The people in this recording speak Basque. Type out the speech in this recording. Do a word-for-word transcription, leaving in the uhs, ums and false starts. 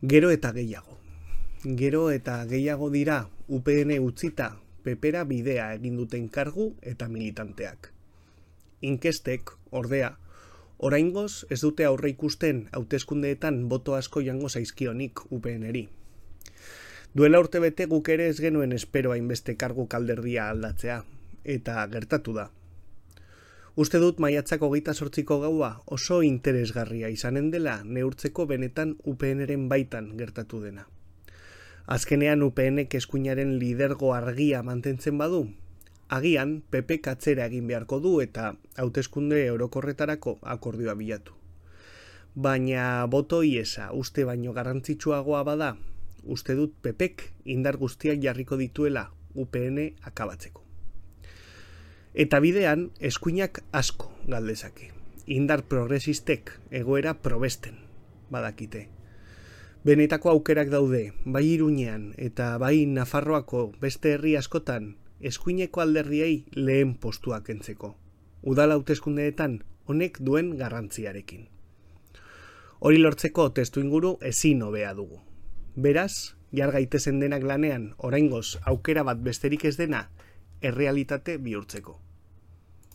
Gero eta gehiago. Gero eta gehiago dira U P N utzita pepera bidea egin duten kargu eta militanteak. Inkestek, ordea, oraingoz ez dute aurre ikusten hauteskundeetan boto asko jango zaizkionik U P N-eri. Duela urte bete guk ere ez genuen espero hainbeste kargu kalderdia aldatzea, eta gertatu da. Uste dut maiatzak hogeita zortziko gaua oso interesgarria izanen dela neurtzeko benetan U P N-ren baitan gertatu dena. Azkenean U P N-ek eskuinaren lidergo argia mantentzen badu, agian P P atzera egin beharko du eta hauteskunde orokorretarako akordioa bilatu. Baina boto iesa uste baino garrantzitsuagoa bada, uste dut P Pek indar guztiak jarriko dituela U P N akabatzeko. Eta bidean, eskuinak asko galdezake. Indar progresistek egoera probesten badakite. Benetako aukerak daude, bai Iruñean eta bai Nafarroako beste herri askotan, eskuineko alderdiei lehen postuak kentzeko. Udal hauteskundeetan honek duen garrantziarekin. Hori lortzeko testuinguru ezin hobea dugu. Beraz, jar gaitezen denak lanean, oraingoz aukera bat besterik ez dena, errealitate bihurtzeko.